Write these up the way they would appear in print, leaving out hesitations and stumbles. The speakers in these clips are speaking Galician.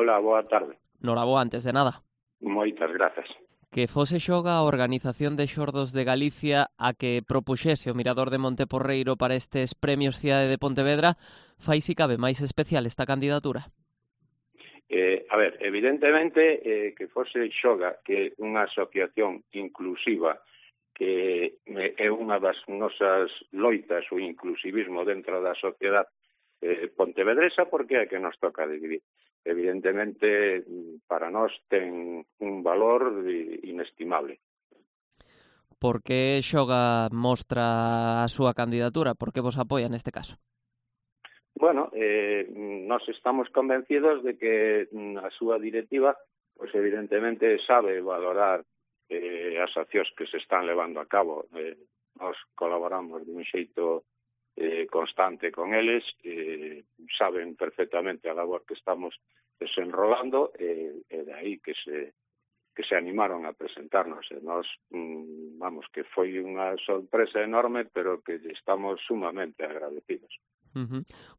Hola, boa tarde. Noraboa, antes de nada. Moitas grazas. Que fose Xoga a Organización de Xordos de Galicia a que propuxese o Mirador de Monteporreiro para estes premios Cidade de Pontevedra, fai si cabe máis especial esta candidatura? A ver, evidentemente que fose Xoga, que é unha asociación inclusiva, que é unha das nosas loitas, o inclusivismo dentro da sociedade pontevedresa, porque é que nos toca dividir. Evidentemente, para nós ten un valor inestimable. Por que Xoga mostra a súa candidatura? Por que vos apoia neste caso? Bueno, nos estamos convencidos de que a súa directiva, pues evidentemente sabe valorar as accións que se están levando a cabo. Nos colaboramos de un xeito constante con eles, saben perfectamente a labor que estamos desenrolando, e de aí que se animaron a presentarnos. E nós, vamos, que foi unha sorpresa enorme, pero que estamos sumamente agradecidos.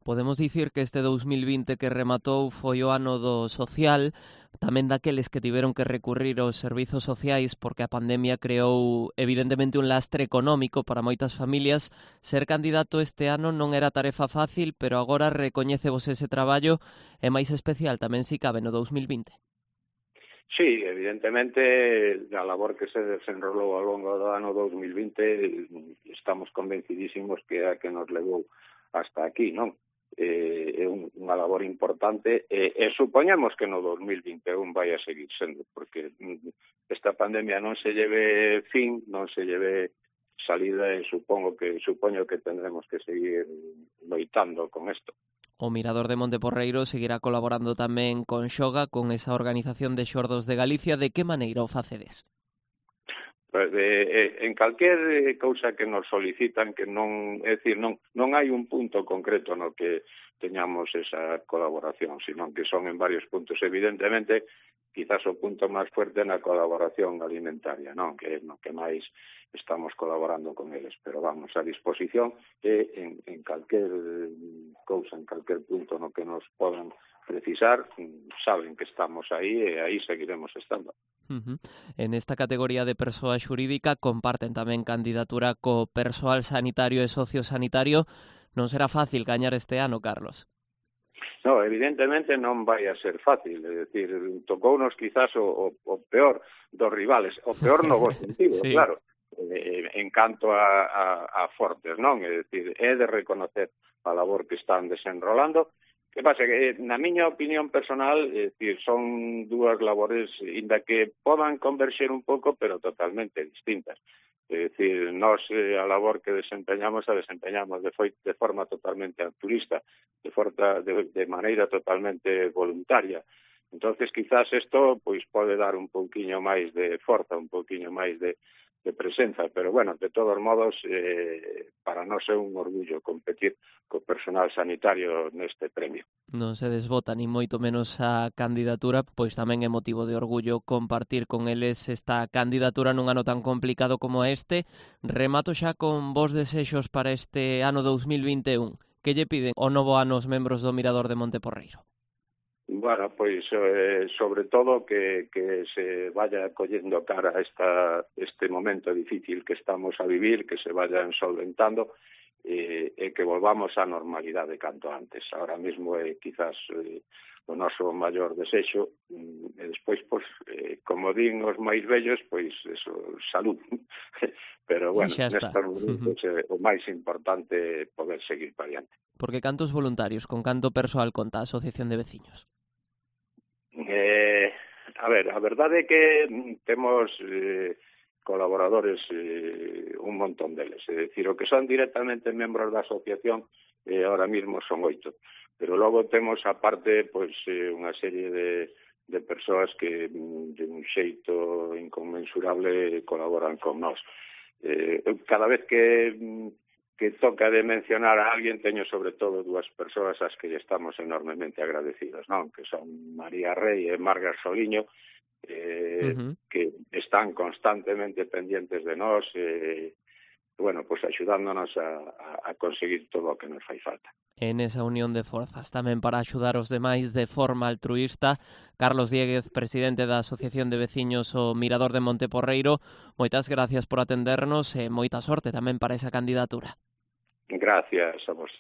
Podemos dicir que este 2020 que rematou foi o ano do social, tamén daqueles que tiveron que recurrir aos servizos sociais porque a pandemia creou evidentemente un lastre económico para moitas familias. Ser candidato este ano non era tarefa fácil, pero agora recoñécevos ese traballo e máis especial tamén si cabe no 2020. Sí, evidentemente, a labor que se desenrolou ao longo do ano 2020 estamos convencidísimos que é a que nos levou hasta aquí, non? É unha labor importante e supoñemos que no 2021 vai a seguir sendo, porque esta pandemia non se lleve fin, non se lleve salida e supoño que tendremos que seguir loitando con isto. O Mirador de Monteporreiro seguirá colaborando tamén con Xoga, con esa Organización de Xordos de Galicia. De que maneira o facedes? Pues, en calquer cousa que nos solicitan, que non, é dicir, non hai un punto concreto no que teñamos esa colaboración, sino que son en varios puntos. Evidentemente, quizás o punto máis fuerte na colaboración alimentaria, non? Que é no que máis estamos colaborando con eles, pero vamos a disposición en calquer cousa, en calquer punto no que nos podan precisar, saben que estamos aí e aí seguiremos estando. En esta categoría de persoa xurídica comparten tamén candidatura co persoal sanitario e sociosanitario. Non será fácil gañar este ano, Carlos. No, evidentemente non vai a ser fácil, é dicir, tocounos quizás o peor dos rivales, o peor no bo sentido, sí. Claro, en canto a fortes, non? É dicir, é de reconocer a labor que están desenrolando. Que pasa? Que, na miña opinión personal, é dicir, son dúas labores, inda que podan converxer un pouco, pero totalmente distintas. É dicir, nós a labor que desempeñamos de forma totalmente altruista, de maneira totalmente voluntaria. Entonces, quizás isto pois pode dar un pouquiño máis de forza, un pouquiño máis de presenza, pero bueno, de todos modos, para nós é un orgullo competir co personal sanitario neste premio. Non se desbota ni moito menos a candidatura, pois tamén é motivo de orgullo compartir con eles esta candidatura nun ano tan complicado como este. Remato xa con vos desexos para este ano 2021. Que lle piden o novo ano os membros do Mirador de Monteporreiro? Bueno, pois sobre todo que se vaya collendo cara a este momento difícil que estamos a vivir, que se vayan solventando e que volvamos á normalidade canto antes. Ahora mesmo é quizás o noso maior desexo e despois, pois, como din os máis vellos, pois eso, salud. Pero bueno, nestes momentos o máis importante é poder seguir para adiante. Porque cantos voluntarios, con canto persoal conta a Asociación de Veciños? A ver, a verdade é que temos colaboradores, un montón deles. É dicir, o que son directamente membros da asociación ahora mismo son 8. Pero logo temos, aparte, pois, unha serie de persoas que de un xeito inconmensurable colaboran con nós. Cada vez que toca de mencionar a alguén, teño sobre todo dúas persoas ás que estamos enormemente agradecidos, non? Que son María Rey e Marga Soliño, que están constantemente pendientes de nós, bueno, pues axudándonos a conseguir todo o que nos fai falta. En esa unión de forzas tamén para axudar os demais de forma altruísta. Carlos Diéguez, presidente da Asociación de Veciños o Mirador de Monteporreiro, moitas gracias por atendernos e moita sorte tamén para esa candidatura. Gracias a vos.